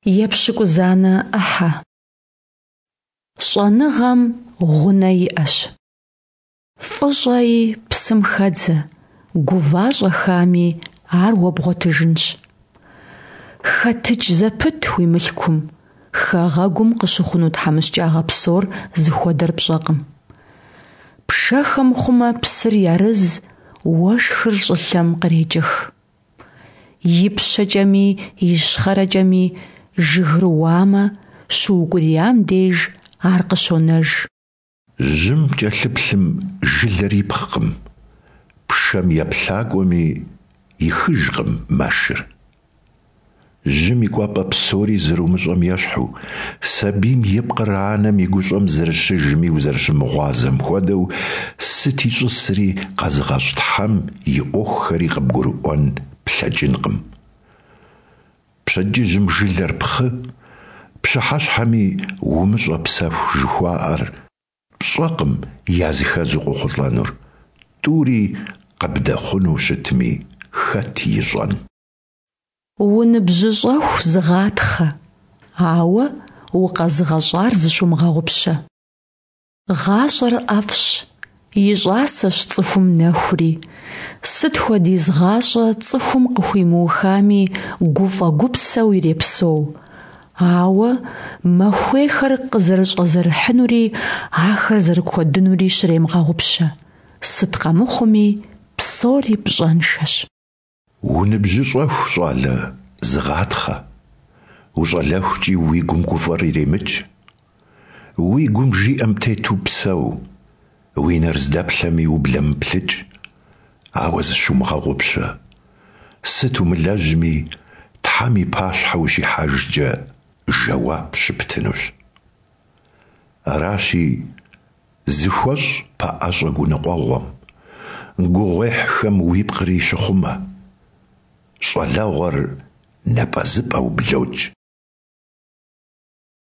Епщыкӏузанэ ӏыхьэ. Щӏэныгъэм гъунэ иӏэщ. Фӏы щӏэи, псым хэдзэ, гува-щӏэхами ар уэ бгъуэтыжынщ. Хэтыкӏ зэпыт уи мылъкум, хэгъэгум къыщыхъуну тхьэмыщкӏагъэ псор зыхуэдэр пщӏэкъым. Пшэхэм хъумэ псыр ярыз, уэшхыр щӏылъэм кърекӏых. Ипщэкӏэми ищхъэрэкӏэми жыгыр уамэ, щыукӏуриям деж ар къыщонэж. Жьым кӏэлъыплъым жылэр ипхъкъым, пшэм еплъакӏуэми ихыжкъым мэшыр. Жьым и кӏуапӏэ псори зэрумыщӏэм ещхьу, сабийм и пкъыр анэм и гущӏэм зэрыщыжми узэрыщымыгъуазэм хуэдэу, сыт ищӏысри къэзыгъэщӏ Тхьэм и ӏуэхухэри къыбгурыӏуэн плъэкӏынкъым. Пщэдджыжьым жылэр пхъы, пщыхьэщхьэми умыщӏэ псэху жыхуаӏэр пщӏэкъым языхэзу къохъулӏэнур, тӏури къыбдэхъуну щытми, хэт ищӏэн. Уныбжьыщӏэху зыгъатхъэ, ауэ укъэзыгъэщӏар зыщумыгъэгъупщэ. Гъащӏэр ӏэфӏщ, и щӏасэщ цӏыхум нэхури. Сыт хуэдиз гъащӏэ цӏыхум къыхуимыухами, гуфӏэ-гупсэу ирепсэу. Ауэ махуейхэр къызэрыщӏэзэрыхьынури ахэр зэрыкуэдынури щремыгъэгъупщэ. Сыт къэмыхъуми, псори пщӏэншэщ. Уныбжьыщӏэху, щӏалэ, зыгъатхъэ, ущӏалэхукӏи уи гум гуфӏэр иремыкӏ. Уи гум жиӏэм тету псэу, уи нэр здэплъэми ублэмыплъыкӏ, ауэ зыщумыгъэгъупщэ, сыт умылэжьми, Тхьэм и пащхьэ ущихьэжкӏэ жэуап щыптынущ. Аращи, зыхуэщӏ пэӏэщӏэ гуныкъуэгъуэм, гугъуехьхэм уипкъри щыхъумэ. Щӏалэгъуэр напӏэзыпӏэу блокӏ.